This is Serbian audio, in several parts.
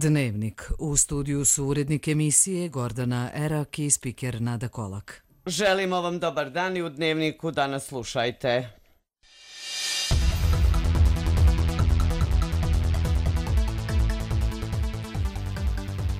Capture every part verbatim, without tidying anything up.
Dnevnik. U studiju su urednik emisije Gordana Erak i spiker Nada Kolak. Želimo vam dobar dan i u Dnevniku danas slušajte.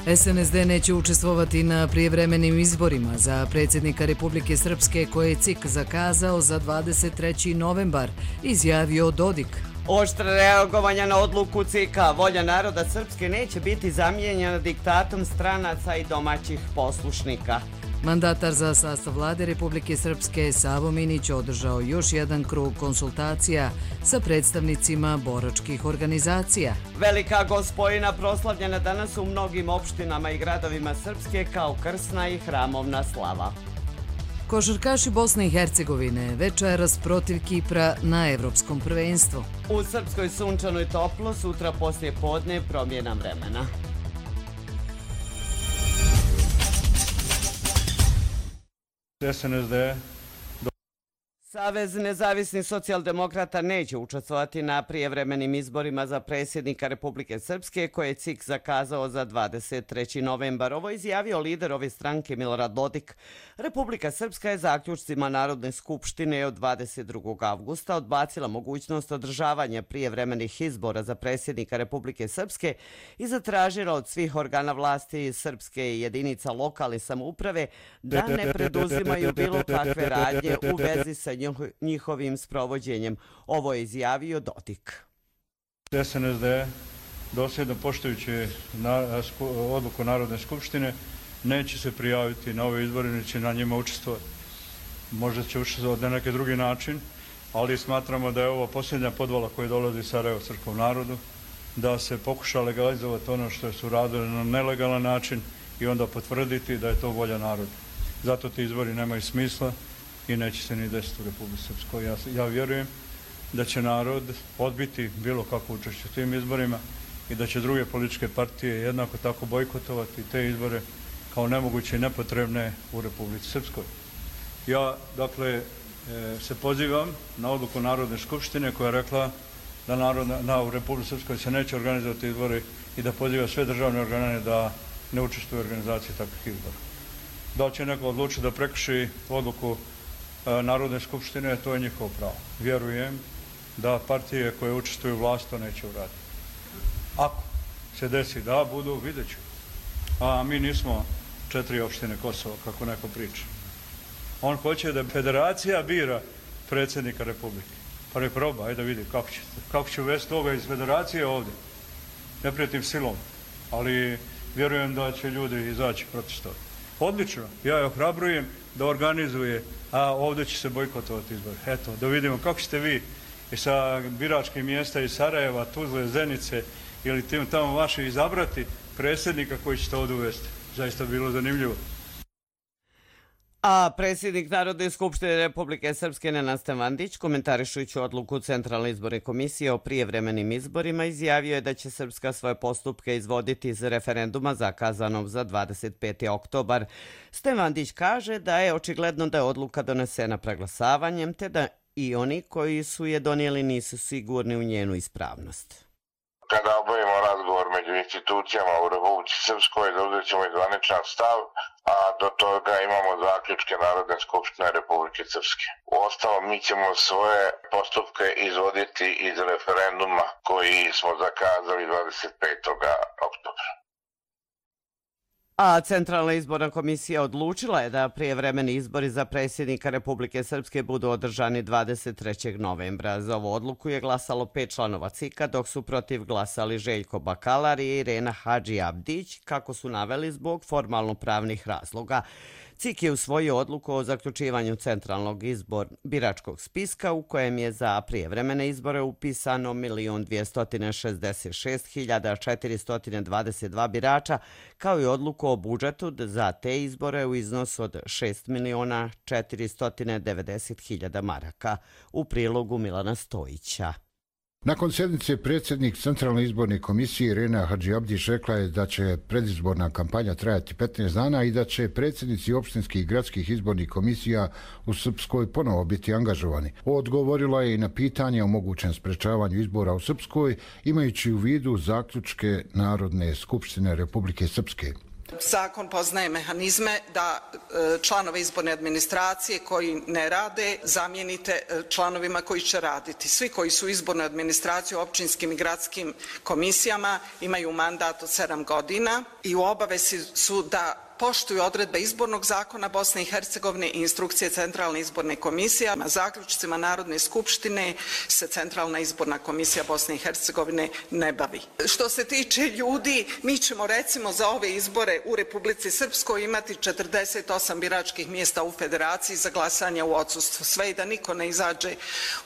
S N S D neće učestvovati na prijevremenim izborima za predsjednika Republike Srpske koje je C I K zakazao za dvadeset treći novembar, izjavio Dodik. Oštra reagovanja na odluku C I K-a. Volja naroda Srpske neće biti zamijenjena diktatom stranaca i domaćih poslušnika. Mandatar za sastav vlade Republike Srpske Savo Minić održao još jedan krug konsultacija sa predstavnicima boračkih organizacija. Velika Gospojina proslavljena danas u mnogim opštinama i gradovima Srpske kao krsna i hramovna slava. Košarkaši Bosne i Hercegovine večeras protiv Kipra na Evropskom prvenstvu. U Srpskoj sunčano i toplo, sutra poslije podne promjena vremena. S N S D Savez nezavisnih socijaldemokrata neće učestvovati na prijevremenim izborima za predsjednika Republike Srpske koje je C I K zakazao za dvadeset treći novembar. Ovo je izjavio lider ove stranke Milorad Dodik. Republika Srpska je zaključcima Narodne skupštine od dvadeset drugog avgusta odbacila mogućnost održavanja prijevremenih izbora za predsjednika Republike Srpske i zatražila od svih organa vlasti iz Srpske i jedinica lokalne samouprave da ne preduzimaju bilo kakve radnje u vezi sa njihovim sprovođenjem. Ovo je izjavio Dodik. S N S D, dosljedno poštujući odluku Narodne skupštine, neće se prijaviti na ove izbore, neće na njima učestvovati. Možda će učestvovati na neki drugi način, ali smatramo da je ovo posljednja podvala koja dolazi iz Sarajeva srpskom narodu, da se pokuša legalizovati ono što su radili na nelegalan način i onda potvrditi da je to volja naroda. Zato ti izbori nemaju smisla i neće se ni desiti u Republici Srpskoj. Ja, ja vjerujem da će narod odbiti bilo kako učešće u tim izborima i da će druge političke partije jednako tako bojkotovati te izbore kao nemoguće i nepotrebne u Republici Srpskoj. Ja, dakle, se pozivam na odluku Narodne skupštine koja je rekla da narodna, na, u Republici Srpskoj se neće organizovati izbori i da poziva sve državne organe da ne učestvuju u organizaciji takvih izbora. Da će neko odlučiti da prekrši odluku Narodne skupštine, to je njihovo pravo. Vjerujem da partije koje učestvuju u vlast to neće uraditi. Ako se desi da budu, vidjet ću. A mi nismo četiri opštine Kosova, kako neko priča. On hoće da federacija bira predsjednika Republike. Pa ne proba, ajde da vidi kako će, kako će uvesti toga iz federacije ovdje. Ne prijetim silom, ali vjerujem da će ljudi izaći protestovati. Odlično, ja je ohrabrujem da organizuje, a ovdje će se bojkotovati izbor. Eto, da vidimo kako ćete vi sa biračkih mjesta iz Sarajeva, Tuzle, Zenice ili tim tamo vaši izabrati predsjednika koji ćete ovdje uvesti. Zaista bilo zanimljivo. A predsjednik Narodne skupštine Republike Srpske Nenad Stevandić, komentarišujući odluku Centralne izborne komisije o prijevremenim izborima, izjavio je da će Srpska svoje postupke izvoditi iz referenduma zakazanog za dvadeset peti oktobar. Stevandić kaže da je očigledno da je odluka donesena preglasavanjem, te da i oni koji su je donijeli nisu sigurni u njenu ispravnost. Kada obavimo razgovor među institucijama u Republici Srpskoj, zauzet ćemo i zvaničan stav, a do toga imamo zaključke Narodne skupštine Republike Srpske. Uostalom, mi ćemo svoje postupke izvoditi iz referenduma koji smo zakazali dvadeset petog oktobra. A Centralna izborna komisija odlučila je da prijevremeni izbori za predsjednika Republike Srpske budu održani dvadeset trećeg novembra. Za ovu odluku je glasalo pet članova C I K-a, dok su protiv glasali Željko Bakalar i Irena Hadži Abdić, kako su naveli zbog formalno-pravnih razloga. C I K je usvojio odluku o zaključivanju centralnog izbor biračkog spiska u kojem je za prijevremene izbore upisano milion dvjesto šezdeset šest hiljada četiristo dvadeset dva birača, kao i odluku o budžetu za te izbore u iznosu od šest miliona četiristo devedeset hiljada maraka. U prilogu Milana Stojića. Nakon sjednice predsjednik Centralne izborne komisije Irena Hadžiabdić rekla je da će predizborna kampanja trajati petnaest dana i da će predsjednici opštinskih i gradskih izbornih komisija u Srpskoj ponovo biti angažovani. Odgovorila je i na pitanje o mogućem sprečavanju izbora u Srpskoj, imajući u vidu zaključke Narodne skupštine Republike Srpske. Zakon poznaje mehanizme da članove izborne administracije koji ne rade zamijenite članovima koji će raditi. Svi koji su u izbornoj administraciji u općinskim i gradskim komisijama imaju mandat od sedam godina i u obavezi su da poštuju odredbe izbornog zakona Bosne i Hercegovine i instrukcije Centralne izborne komisije. Zaključcima Narodne skupštine se Centralna izborna komisija Bosne i Hercegovine ne bavi. Što se tiče ljudi, mi ćemo recimo za ove izbore u Republici Srpskoj imati četrdeset osam biračkih mjesta u Federaciji za glasanje u odsustvu. Sve i da niko ne izađe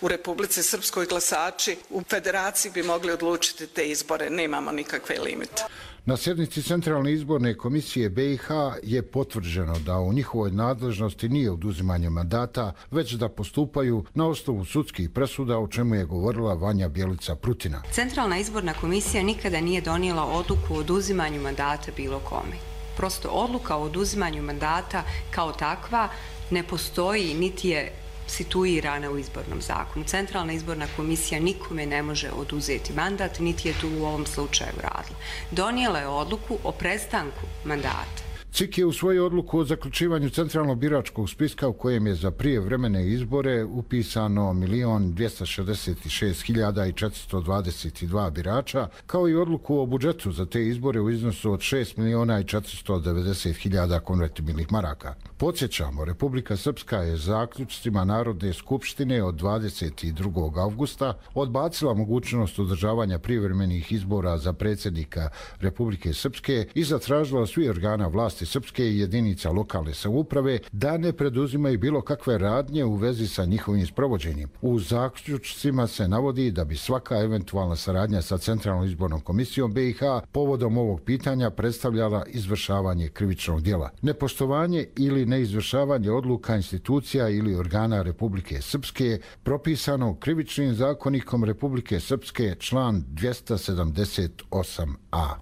u Republici Srpskoj, glasači u Federaciji bi mogli odlučiti te izbore. Nemamo nikakve limite. Na sjednici Centralne izborne komisije B i H je potvrđeno da u njihovoj nadležnosti nije oduzimanje mandata, već da postupaju na osnovu sudskih presuda, o čemu je govorila Vanja Bjelica Prutina. Centralna izborna komisija nikada nije donijela odluku o oduzimanju mandata bilo kome. Prosto odluka o oduzimanju mandata kao takva ne postoji, niti je situirana u izbornom zakonu. Centralna izborna komisija nikome ne može oduzeti mandat, niti je tu u ovom slučaju radila. Donijela je odluku o prestanku mandata. C I K je u svoju odluku o zaključivanju centralnog biračkog spiska u kojem je za prijevremene izbore upisano milion dvjesto šezdeset šest hiljada četiristo dvadeset dva birača, kao i odluku o budžetu za te izbore u iznosu od šest miliona četiristo devedeset hiljada konvertibilnih maraka. Podsjećamo, Republika Srpska je zaključcima Narodne skupštine od dvadeset drugog avgusta odbacila mogućnost održavanja privremenih izbora za predsjednika Republike Srpske i zatražila svi organa vlasti Srpske i jedinica lokalne samouprave da ne preduzimaju bilo kakve radnje u vezi sa njihovim sprovođenjem. U zaključcima se navodi da bi svaka eventualna saradnja sa Centralnom izbornom komisijom B i H povodom ovog pitanja predstavljala izvršavanje krivičnog djela. Nepoštovanje ili neizvršavanje odluka institucija ili organa Republike Srpske propisano krivičnim zakonikom Republike Srpske član dvjesto sedamdeset osam a.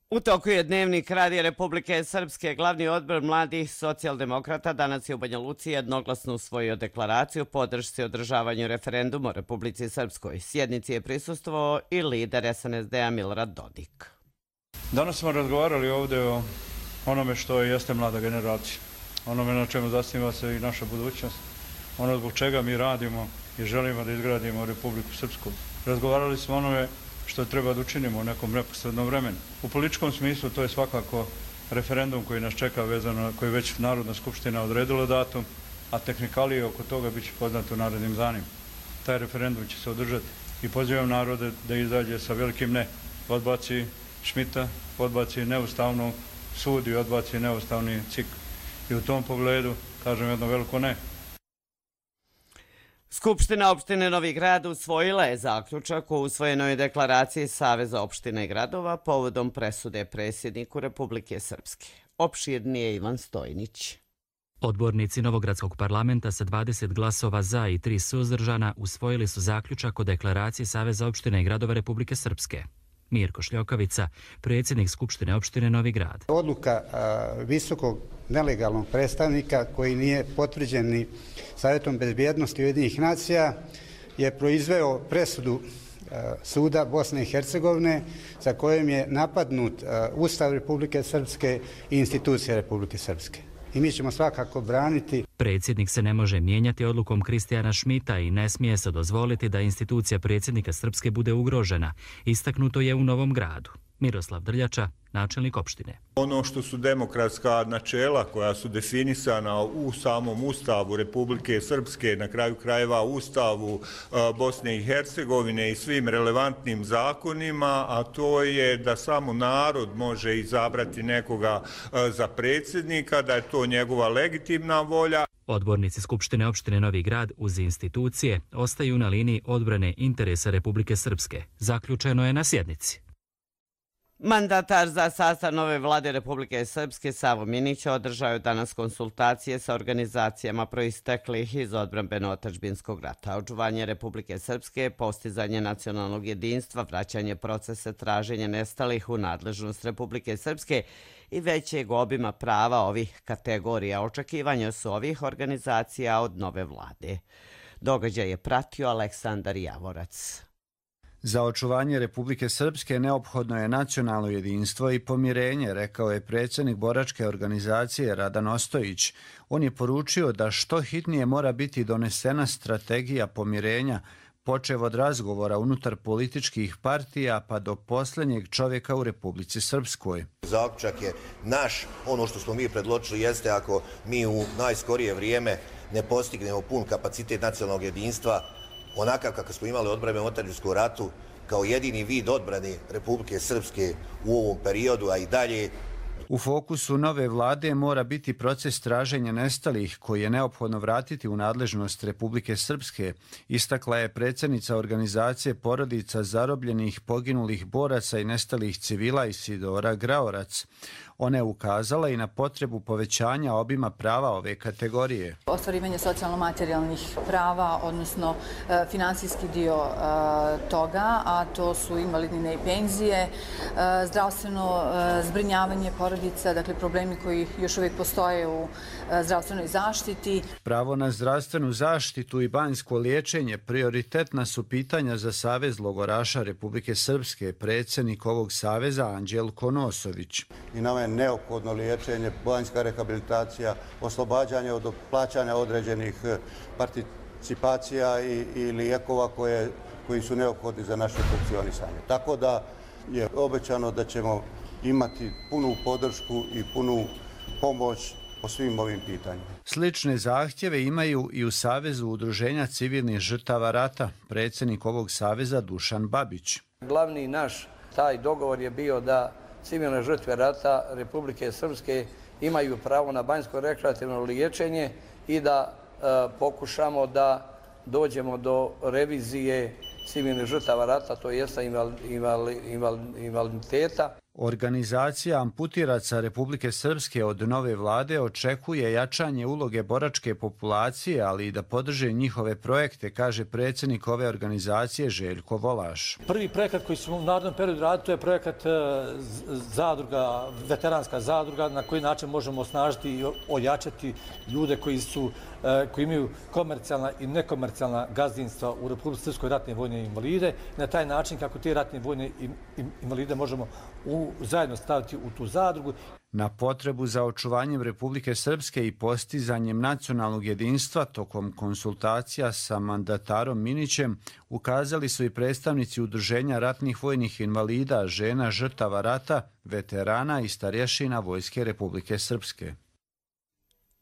U toku je Dnevnik Radija Republike Srpske. Glavni odbor mladih socijaldemokrata danas je u Banja Luci jednoglasno usvojio deklaraciju podršci održavanju referenduma u Republici Srpskoj. Sjednici je prisustvovao i lider S N S D-a Milorad Dodik. Danas smo razgovarali ovdje o onome što jeste mlada generacija, onome na čemu zasniva se i naša budućnost, ono zbog čega mi radimo i želimo da izgradimo Republiku Srpsku. Razgovarali smo onome što treba da učinimo u nekom neposrednom vremenu. U političkom smislu to je svakako referendum koji nas čeka vezano, koji već Narodna skupština odredila datum, a tehnikalije oko toga bit će poznato u narednim danima. Taj referendum će se održati i pozivam narode da izađe sa velikim ne. Odbaci Šmita, odbaci neustavnu sud i odbaci neustavni C I K. I u tom pogledu kažem jedno veliko ne. Skupština opštine Novi Grad usvojila je zaključak o usvojenoj deklaraciji Saveza opština i gradova povodom presude predsjedniku Republike Srpske. Opširnije Ivan Stojnić. Odbornici Novogradskog parlamenta sa dvadeset glasova za i tri suzdržana usvojili su zaključak o deklaraciji Saveza opština i gradova Republike Srpske. Mirko Šljokovica, predsjednik Skupštine opštine Novi Grad. Odluka a, visokog nelegalnog predstavnika koji nije potvrđen ni Savjetom bezbjednosti Ujedinjenih nacija je proizveo presudu a, suda Bosne i Hercegovine za kojim je napadnut a, Ustav Republike Srpske i institucija Republike Srpske. I mi ćemo svakako braniti. Predsjednik se ne može mijenjati odlukom Kristijana Šmita i ne smije se dozvoliti da institucija predsjednika Srpske bude ugrožena. Istaknuto je u Novom Gradu. Miroslav Drljača, načelnik opštine. Ono što su demokratska načela koja su definisana u samom Ustavu Republike Srpske, na kraju krajeva Ustavu Bosne i Hercegovine i svim relevantnim zakonima, a to je da samo narod može izabrati nekoga za predsjednika, da je to njegova legitimna volja. Odbornici Skupštine opštine Novi Grad uz institucije ostaju na liniji odbrane interesa Republike Srpske. Zaključeno je na sjednici. Mandatar za sastav nove vlade Republike Srpske Savo Minić održao je danas konsultacije sa organizacijama proisteklih iz odbrambeno-otadžbinskog rata. Očuvanje Republike Srpske, postizanje nacionalnog jedinstva, vraćanje procesa traženja nestalih u nadležnost Republike Srpske i većeg obima prava ovih kategorija. Očekivanja su ovih organizacija od nove vlade. Događaj je pratio Aleksandar Javorac. Za očuvanje Republike Srpske neophodno je nacionalno jedinstvo i pomirenje, rekao je predsjednik boračke organizacije Radan Ostojić. On je poručio da što hitnije mora biti donesena strategija pomirenja, počev od razgovora unutar političkih partija pa do posljednjeg čovjeka u Republici Srpskoj. Zaključak je naš, ono što smo mi predločili jeste ako mi u najskorije vrijeme ne postignemo pun kapacitet nacionalnog jedinstva, onakav kako smo imali odbranu u otadžbinskom ratu, kao jedini vid odbrane Republike Srpske u ovom periodu, a i dalje. U fokusu nove vlade mora biti proces traženja nestalih koji je neophodno vratiti u nadležnost Republike Srpske, istakla je predsjednica organizacije porodica zarobljenih, poginulih boraca i nestalih civila Isidora Graorac. Ona je ukazala i na potrebu povećanja obima prava ove kategorije. Ostvarivanje socijalno-materijalnih prava, odnosno e, finansijski dio e, toga, a to su invalidnine i penzije, e, zdravstveno e, zbrinjavanje porodica, dakle problemi koji još uvijek postoje u e, zdravstvenoj zaštiti. Pravo na zdravstvenu zaštitu i banjsko liječenje prioritetna su pitanja za Savez logoraša Republike Srpske, predsjednik ovog saveza Anđelko Nosović. I nama je neophodno liječenje, banjska rehabilitacija, oslobađanje od plaćanja određenih participacija i, i lijekova koje, koji su neophodni za naše funkcionisanje. Tako da je obećano da ćemo imati punu podršku i punu pomoć po svim ovim pitanjima. Slične zahtjeve imaju i u Savezu udruženja civilnih žrtava rata, predsjednik ovog saveza Dušan Babić. Glavni naš taj dogovor je bio da civilne žrtve rata Republike Srpske imaju pravo na banjsko rekreativno liječenje i da e, pokušamo da dođemo do revizije civilnih žrtava rata, to jeste inval, inval, inval, invaliditeta. Organizacija amputiraca Republike Srpske od nove vlade očekuje jačanje uloge boračke populacije, ali i da podrže njihove projekte, kaže predsjednik ove organizacije Željko Volaš. Prvi projekat koji smo u narednom periodu radili, to je projekat zadruga, veteranska zadruga, na koji način možemo osnažiti i ojačati ljude koji su koji imaju komercijalna i nekomercijalna gazdinstva u Republici Srpskoj ratne vojne invalide. Na taj način kako te ratne vojne invalide možemo u, zajedno staviti u tu zadrugu. Na potrebu za očuvanjem Republike Srpske i postizanjem nacionalnog jedinstva tokom konsultacija sa mandatarom Minićem ukazali su i predstavnici Udruženja ratnih vojnih invalida, žena žrtava rata, veterana i starješina Vojske Republike Srpske.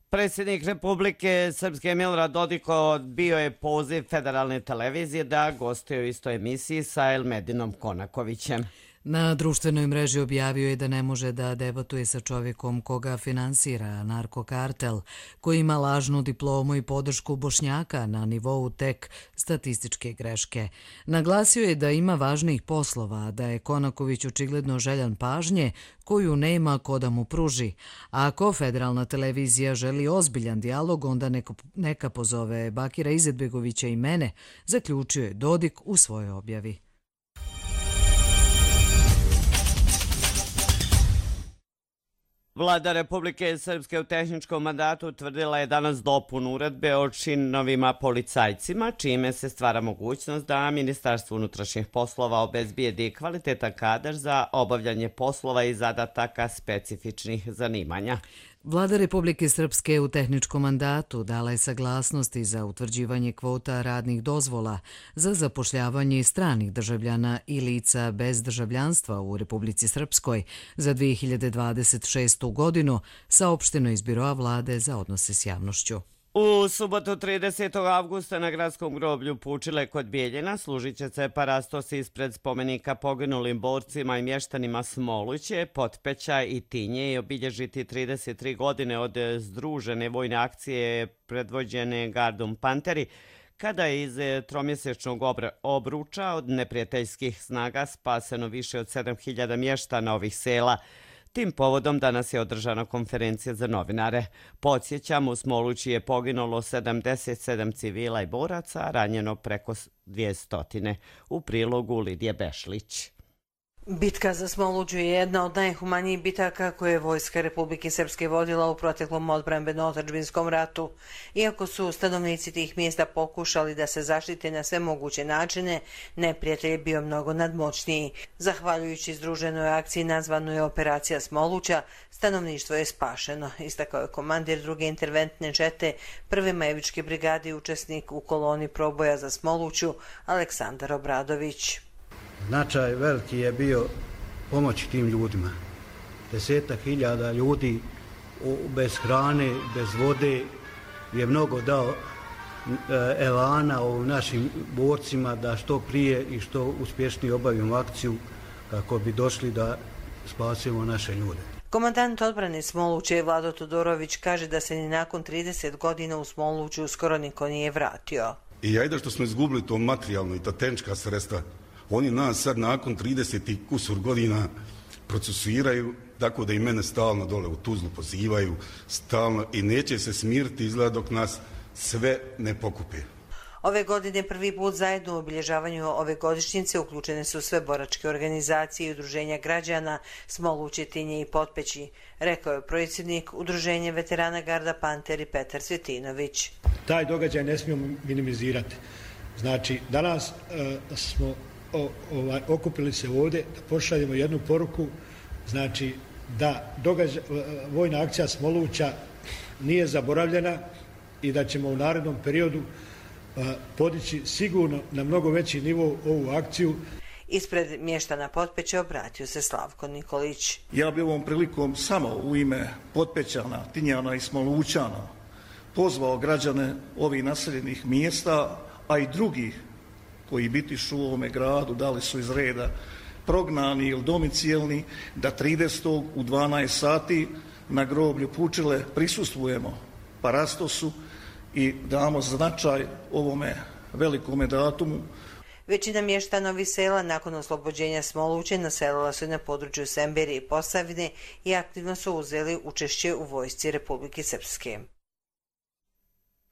Predsjednik Republike Srpske Milorad Dodik odbio je poziv federalne televizije da gostuje u istoj emisiji sa Elmedinom Konakovićem. Na društvenoj mreži objavio je da ne može da debatuje sa čovjekom koga finansira narkokartel, koji ima lažnu diplomu i podršku Bošnjaka na nivou tek statističke greške. Naglasio je da ima važnijih poslova, da je Konaković očigledno željan pažnje koju nema ko da mu pruži. A ako federalna televizija želi ozbiljan dijalog, onda neka, neka pozove Bakira Izetbegovića i mene, zaključio je Dodik u svojoj objavi. Vlada Republike Srpske u tehničkom mandatu utvrdila je danas dopunu uredbe o činovima policajcima, čime se stvara mogućnost da Ministarstvo unutrašnjih poslova obezbijedi kvalitetan kadar za obavljanje poslova i zadataka specifičnih zanimanja. Vlada Republike Srpske u tehničkom mandatu dala je saglasnosti za utvrđivanje kvota radnih dozvola za zapošljavanje stranih državljana i lica bez državljanstva u Republici Srpskoj za dvije hiljade dvadeset šestu godinu, saopšteno iz Biroa vlade za odnose s javnošću. U subotu tridesetog avgusta na gradskom groblju Pučile kod Bijeljina služit će se parastos ispred spomenika poginulim borcima i mještanima Smoluće, Potpeća i Tinje i obilježiti trideset tri godine od združene vojne akcije predvođene Gardom Panteri, kada je iz tromjesečnog obruča od neprijateljskih snaga spaseno više od sedam hiljada mještana ovih sela. Tim povodom danas je održana konferencija za novinare. Podsjećamo, u Smolući je poginulo sedamdeset sedam civila i boraca, a ranjeno preko dvjesto. U prilogu Lidije Bešlić. Bitka za Smoluđu je jedna od najhumanijih bitaka koje je Vojska Republike Srpske vodila u proteklom odbrambeno-otadžbinskom ratu. Iako su stanovnici tih mjesta pokušali da se zaštite na sve moguće načine, neprijatelj je bio mnogo nadmoćniji. Zahvaljujući združenoj akciji nazvanoj Operacija Smoluća, stanovništvo je spašeno, istakao je komandir druge interventne čete prve Majevičke brigade i učesnik u koloni proboja za Smoluću Aleksandar Obradović. Značaj veliki je bio pomoći tim ljudima. Desetak hiljada ljudi bez hrane, bez vode je mnogo dao elana u našim borcima da što prije i što uspješnije obavimo akciju kako bi došli da spasimo naše ljude. Komandant odbrane Smoluće Vlado Todorović kaže da se ni nakon trideset godina u Smoluću skoro niko nije vratio. I ajde što smo izgubili to materijalno i ta tehnička sredstva, oni nas sad nakon trideset kusur godina procesuiraju, tako da i mene stalno dole u Tuzlu pozivaju, stalno, i neće se smiriti izgleda dok nas sve ne pokupe. Ove godine prvi put zajedno u obilježavanju ove godišnjice uključene su sve boračke organizacije i udruženja građana Smoluće, Tinje i Potpeći, rekao je predsjednik Udruženja veterana Garda Panteri Petar Cvjetinović. Taj događaj ne smijemo minimizirati. Znači, danas e, smo o, ovaj, okupili se ovdje da pošaljemo jednu poruku, znači da događaj, vojna akcija Smoluća nije zaboravljena i da ćemo u narednom periodu podići sigurno na mnogo veći nivo ovu akciju. Ispred mještana Potpeća obratio se Slavko Nikolić. Ja bi ovom prilikom samo u ime Potpećana, Tinjana i Smolućana pozvao građane ovih naseljenih mjesta, a i drugih koji bitišu u ovome gradu, da li su iz reda prognani ili domicijelni, da tridesetog u dvanaest sati na groblju Pučile prisustvujemo parastosu i damo značaj ovome velikome datumu. Većina mještana ovih sela nakon oslobođenja Smoluće naselila su na području Semberije i Posavine i aktivno su uzeli učešće u vojsci Republike Srpske.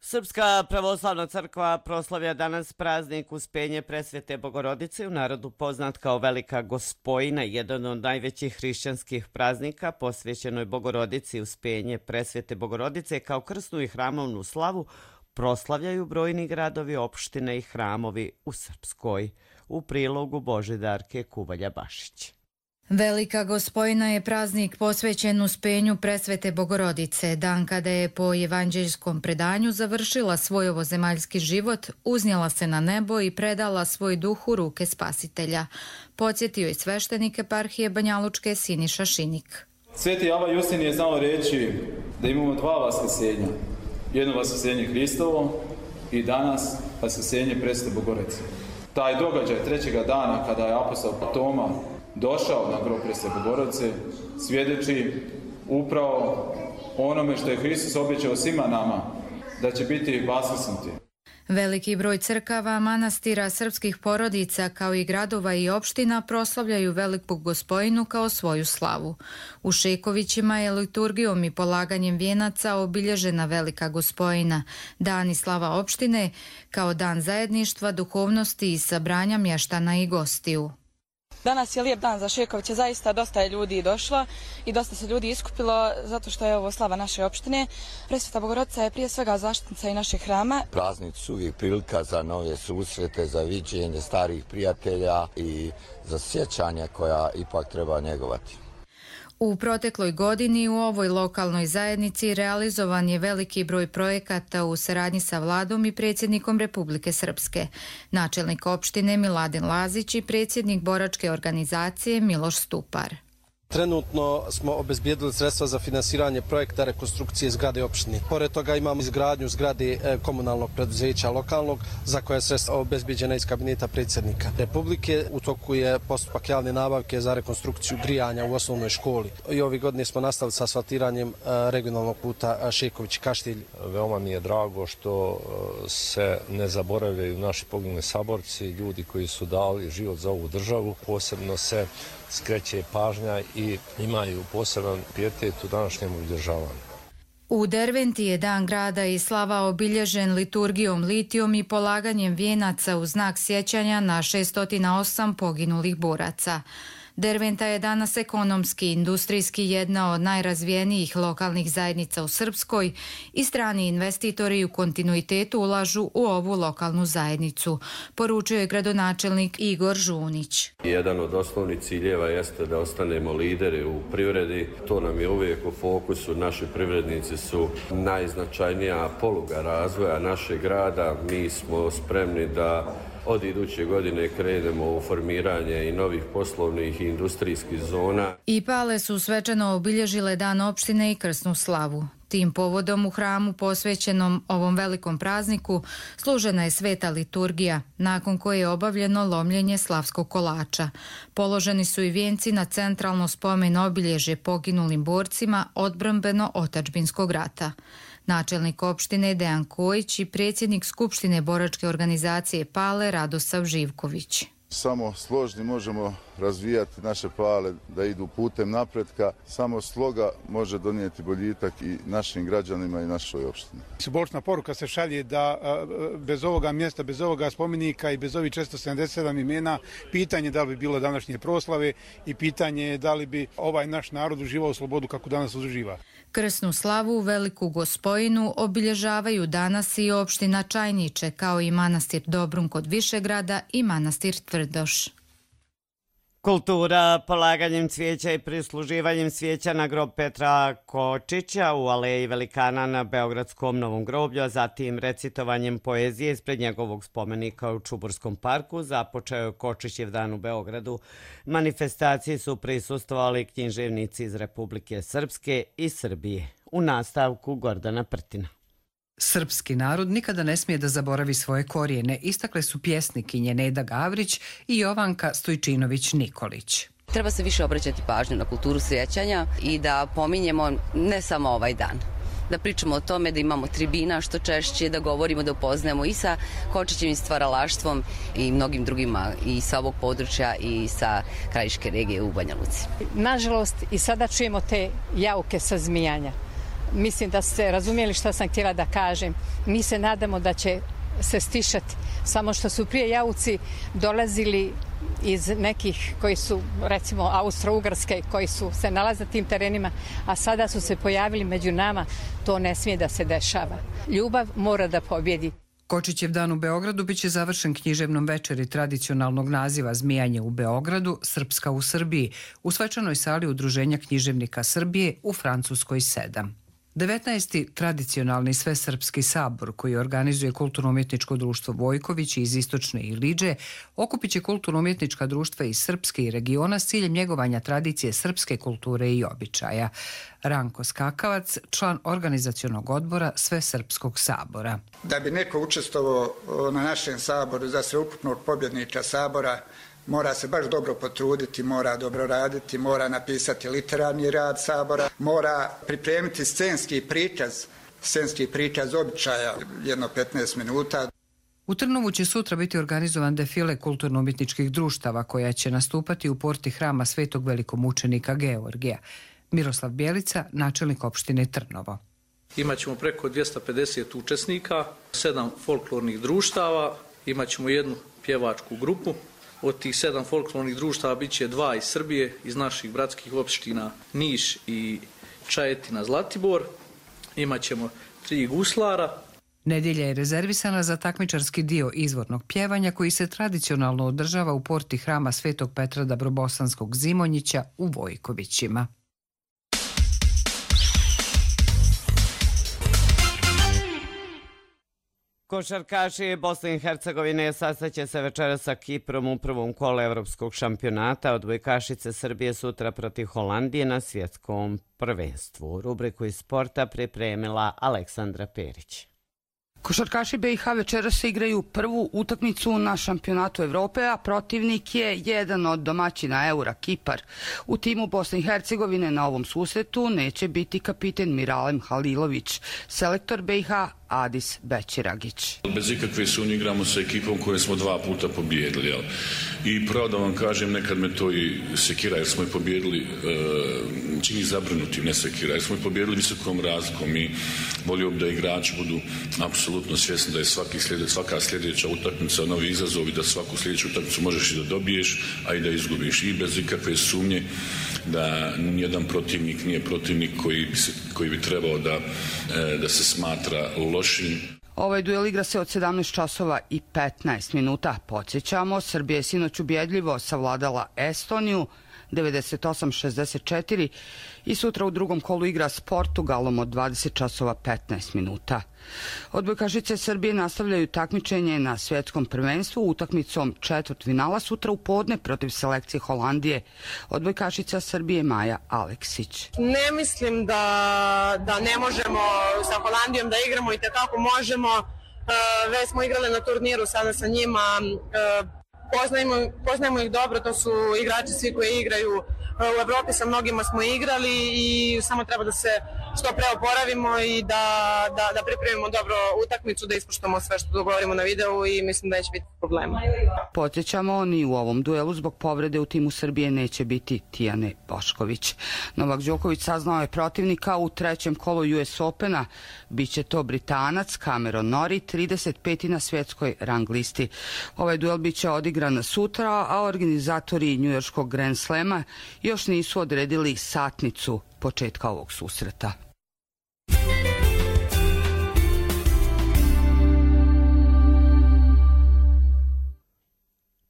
Srpska pravoslavna crkva proslavlja danas praznik Uspenje Presvete Bogorodice, u narodu poznat kao Velika Gospojina, jedan od najvećih hrišćanskih praznika posvećenoj Bogorodici. Uspenje Presvete Bogorodice kao krsnu i hramovnu slavu proslavljaju brojni gradovi, opštine i hramovi u Srpskoj. U prilogu Božidarke Kuvalja-Bašić. Velika Gospojina je praznik posvećen Uspenju Presvete Bogorodice, dan kada je po evanđeljskom predanju završila svoj ovozemaljski život, uznijela se na nebo i predala svoj duh u ruke Spasitelja. Podsjetio je sveštenik eparhije Banjalučke Siniša Šinik. Sveti Ava Justin je znao reći da imamo dva vaskrsenja. Jedno vaskrsenje Hristovo i danas vaskrsenje Presvete Bogorodice. Taj događaj trećega dana kada je apostol Toma došao na grob Presvete Bogorodice svjedoči upravo onome što je Hristos obećao svima nama, da će biti vaskrsnuti. Veliki broj crkava, manastira, srpskih porodica kao i gradova i opština proslavljaju Veliku Gospojinu kao svoju slavu. U Šekovićima je liturgijom i polaganjem vijenaca obilježena Velika Gospojina, dan i slava opštine kao dan zajedništva, duhovnosti i sabranja mještana i gostiju. Danas je lijep dan za Šekoviće, zaista dosta je ljudi došlo i dosta se ljudi iskupilo zato što je ovo slava naše opštine. Presveta Bogorodica je prije svega zaštitnica i našeg hrama. Praznici su uvijek prilika za nove susrete, za viđenje starih prijatelja i za sjećanja koja ipak treba njegovati. U protekloj godini u ovoj lokalnoj zajednici realizovan je veliki broj projekata u saradnji sa vladom i predsjednikom Republike Srpske. Načelnik opštine Miladin Lazić i predsjednik boračke organizacije Miloš Stupar. Trenutno smo obezbijedili sredstva za finansiranje projekta rekonstrukcije zgrade opštine. Pored toga imamo izgradnju zgrade komunalnog preduzeća lokalnog za koje je sredstva obezbijeđena iz kabineta predsjednika Republike. U toku je postupak javne nabavke za rekonstrukciju grijanja u osnovnoj školi. I ove godine smo nastavili sa asfaltiranjem regionalnog puta Šeković-Kaštilj. Veoma mi je drago što se ne zaboravljaju naši poginuli saborci, ljudi koji su dali život za ovu državu. Posebno se skreće pažnja i imaju poseban pijetet u današnjem obilježavanju. U Derventi je Dan grada i slava obilježen liturgijom litijom i polaganjem vijenaca u znak sjećanja na šesto osam poginulih boraca. Derventa je danas ekonomski i industrijski jedna od najrazvijenijih lokalnih zajednica u Srpskoj i strani investitori u kontinuitetu ulažu u ovu lokalnu zajednicu, poručuje gradonačelnik Igor Žunić. Jedan od osnovnih ciljeva jeste da ostanemo lideri u privredi. To nam je uvijek u fokusu. Naši privrednici su najznačajnija poluga razvoja našeg grada. Mi smo spremni da od iduće godine krenemo u formiranje i novih poslovnih i industrijskih zona. I Pale su svečano obilježile Dan opštine i krsnu slavu. Tim povodom u hramu posvećenom ovom velikom prazniku služena je sveta liturgija, nakon koje je obavljeno lomljenje slavskog kolača. Položeni su i vijenci na centralno spomen obilježje poginulim borcima odbrambeno-otadžbinskog rata. Načelnik opštine Dejan Kojić i predsjednik Skupštine boračke organizacije Pale Radosav Živković. Samo složni možemo razvijati naše Pale da idu putem napretka. Samo sloga može donijeti boljitak i našim građanima i našoj opštini. Simbolična poruka se šalje da bez ovoga mjesta, bez ovoga spomenika i bez ovih četiristo sedamdeset sedam imena, pitanje da li bi bilo današnje proslave i pitanje je da li bi ovaj naš narod uživao slobodu kako danas uživa. Krsnu slavu u Veliku Gospojinu obilježavaju danas i opština Čajniče, kao i manastir Dobrun kod Višegrada i manastir Tvrdoš. Kultura polaganjem cvijeća i prisluživanjem cvijeća na grob Petra Kočića u aleji velikana na Beogradskom Novom groblju, a zatim recitovanjem poezije ispred njegovog spomenika u Čuburskom parku započeo je Kočićev dan u Beogradu. Manifestaciji su prisustvovali književnici iz Republike Srpske i Srbije. U nastavku Gordana Prtina. Srpski narod nikada ne smije da zaboravi svoje korijene, istakle su pjesnikinje Neda Gavrić i Jovanka Stojčinović-Nikolić. Treba se više obraćati pažnju na kulturu sjećanja i da pominjemo ne samo ovaj dan. Da pričamo o tome, da imamo tribina što češće, da govorimo, da upoznajemo i sa Kočićevim stvaralaštvom i mnogim drugima i sa ovog područja i sa krajiške regije u Banja Luci. Nažalost, i sada čujemo te jauke sa zmijanja. Mislim da ste razumijeli šta sam htjela da kažem. Mi se nadamo da će se stišati. Samo što su prije jauci dolazili iz nekih koji su, recimo, Austro-Ugarske, koji su se nalaze na tim terenima, a sada su se pojavili među nama. To ne smije da se dešava. Ljubav mora da pobjedi. Kočićev dan u Beogradu biće završen književnom večeri tradicionalnog naziva Zmijanje u Beogradu, Srpska u Srbiji, u svečanoj sali Udruženja književnika Srbije u Francuskoj sedam. devetnaesti tradicionalni svesrpski sabor koji organizuje Kulturno-umjetničko društvo Vojković iz Istočne Iliđe okupit će kulturno-umjetnička društva iz Srpske i regiona s ciljem njegovanja tradicije srpske kulture i običaja. Ranko Skakavac, član organizacionog odbora Svesrpskog sabora. Da bi neko učestvovao na našem saboru za sveukupnog pobjedniča sabora, mora se baš dobro potruditi, mora dobro raditi, mora napisati literarni rad sabora, mora pripremiti scenski prikaz, scenski prikaz običaja, jedno petnaest minuta. U Trnovu će sutra biti organizovan defile kulturno-umjetničkih društava koja će nastupati u porti hrama Svetog velikomučenika Georgija. Miroslav Bjelica, načelnik opštine Trnovo. Imaćemo preko dvjesto pedeset učesnika, sedam folklornih društava, imaćemo jednu pjevačku grupu. Od tih sedam folklornih društava bit će dva iz Srbije, iz naših bratskih opština Niš i Čajetina, Zlatibor. Imaćemo tri guslara. Nedjelja je rezervisana za takmičarski dio izvornog pjevanja koji se tradicionalno održava u porti hrama Svetog Petra Dabrobosanskog Zimonjića u Vojkovićima. Košarkaši Bosne i Hercegovine sastaće se večeras sa Kiprom u prvom kolu evropskog šampionata. Odbojkašice Srbije sutra protiv Holandije na svjetskom prvenstvu. Rubriku iz sporta pripremila Aleksandra Perić. Košarkaši B i H večeras se igraju prvu utakmicu na šampionatu Evrope, a protivnik je jedan od domaćina Eura, Kipar. U timu Bosne i Hercegovine na ovom susretu neće biti kapiten Miralem Halilović, selektor B i H Adis Bećiragić. Bez ikakve sumnje igramo sa ekipom koje smo dva puta pobijedili. Jel? I pravo da vam kažem, nekad me to i sekira jer smo je pobijedili, e, čini zabrinuti, ne sekira, jer smo je pobijedili visokom razlikom i volio bi da igrači budu apsolutno svjesni da je svaki slijede, svaka sljedeća utakmica novi izazov i da svaku sljedeću utakmicu možeš i da dobiješ, a i da izgubiš. I bez ikakve sumnje da nijedan protivnik nije protivnik koji bi, se, koji bi trebao da, e, da se smatra lošim. Ovaj duel igra se od sedamnaest časova i petnaest minuta. Podsjećamo, Srbija je sinoć ubjedljivo savladala Estoniju devedeset osam šezdeset četiri i sutra u drugom kolu igra s Portugalom od dvadeset časova petnaest minuta. Odbojkašice Srbije nastavljaju takmičenje na svjetskom prvenstvu utakmicom četvrtfinala sutra u podne protiv selekcije Holandije. Odbojkašica Srbije Maja Aleksić. Ne mislim da, da ne možemo sa Holandijom da igramo i tekako možemo. Već smo igrali na turniru sada sa njima. Poznajemo, poznajemo ih dobro, to su igrači svi koji igraju u Evropi, sa mnogima smo igrali i samo treba da se što pre oporavimo i da, da, da pripremimo dobro utakmicu, da ispoštujemo sve što dogovorimo na videu i mislim da neće biti problema. Podsjećamo, ni u ovom duelu zbog povrede u timu Srbije neće biti Tijane Bošković. Novak Đoković saznao je protivnika u trećem kolu U S Opena. Biće to Britanac Cameron Norrie, trideset peti na svjetskoj rang listi. Ovaj duel biće odigran sutra, a organizatori njujorškog Grand Slema još nisu odredili satnicu početka ovog susreta.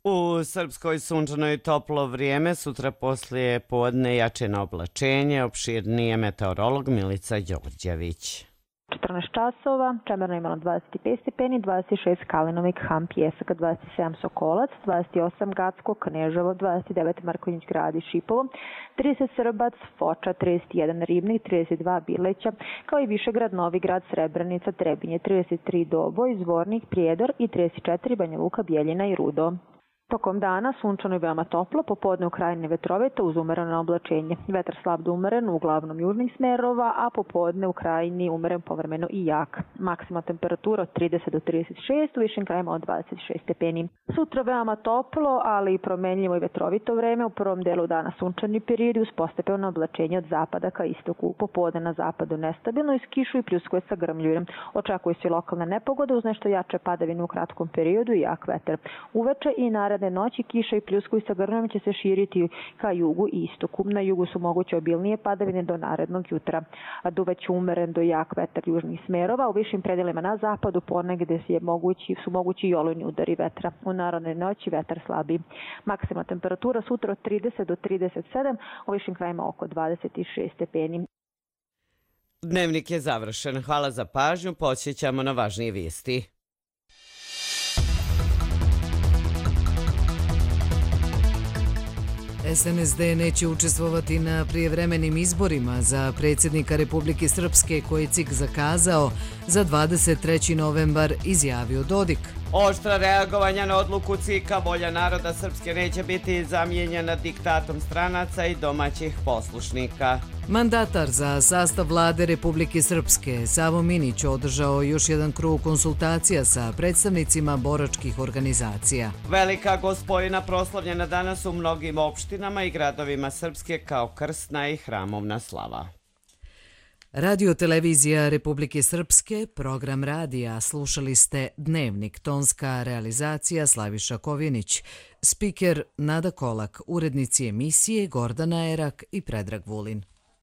U Srpskoj sunčano i toplo vrijeme, sutra poslije podne jače na oblačenje, opširnije meteorolog Milica Đorđević. četrnaest časova, Čemerno imalo dvadeset pet stepeni, dvadeset šest Kalinovik, Ham, Pjesak, dvadeset sedam Sokolac, dvadeset osam Gacko, Kneževo, dvadeset devet Markonjić Grad i Šipovo, trideset Srbac, Foča, trideset jedan Ribnik, trideset dva Bileća, kao i Višegrad, Novigrad, Srebrenica, Trebinje, trideset tri Doboj, Zvornik, Prijedor i trideset četiri Banja Luka, Bjeljina i Rudo. Tokom dana sunčano i veoma toplo, popodne u krajine vetrovita uz umereno oblačenje. Vetar slab do umeren, uglavnom južnih smerova, a popodne u krajini umeren povremeno i jak. Maksimalna temperatura od trideset do trideset šest, u višim krajima od dvadeset šest stepeni. Sutra veoma toplo, ali i promenljivo i vetrovito vreme. U prvom delu dana sunčani periodi uz postepeno oblačenje od zapada ka istoku. Popodne na zapadu nestabilno iz kišu i pljuskuje sa grmljujem. Očekuje se lokalna nepogoda uz nešto jače padavine u kratkom periodu i jak vetar. Uveče i naredne noći kiša i pljuskuj sa grmljem će se širiti ka jugu i istoku. Na jugu su moguće obilnije padavine do narednog jutra. Duvaće umeren do jak vetar južnih smerova. U višim predelima na zapadu ponegde je mogući, su mogući i olujni udari vetra. U narednoj noći vetar slabi. Maksimalna temperatura sutra od trideset do trideset sedam, u višim krajima oko dvadeset šest stepeni. Dnevnik je završen. Hvala za pažnju. Podsjećamo na važnije vijesti. S N S D neće učestvovati na prijevremenim izborima za predsjednika Republike Srpske koje je C I K zakazao za dvadeset treći novembar, izjavio Dodik. Oštra reagovanja na odluku C I K-a, volja naroda Srpske neće biti zamijenjena diktatom stranaca i domaćih poslušnika. Mandatar za sastav vlade Republike Srpske, Savo Minić, održao još jedan krug konsultacija sa predstavnicima boračkih organizacija. Velika Gospojina proslavljena danas u mnogim opštinama i gradovima Srpske kao krsna i hramovna slava. Radio televizija Republike Srpske, program radija, slušali ste Dnevnik, tonska realizacija Slaviša Kovinić, spiker Nada Kolak, urednici emisije Gordana Erak i Predrag Vulin.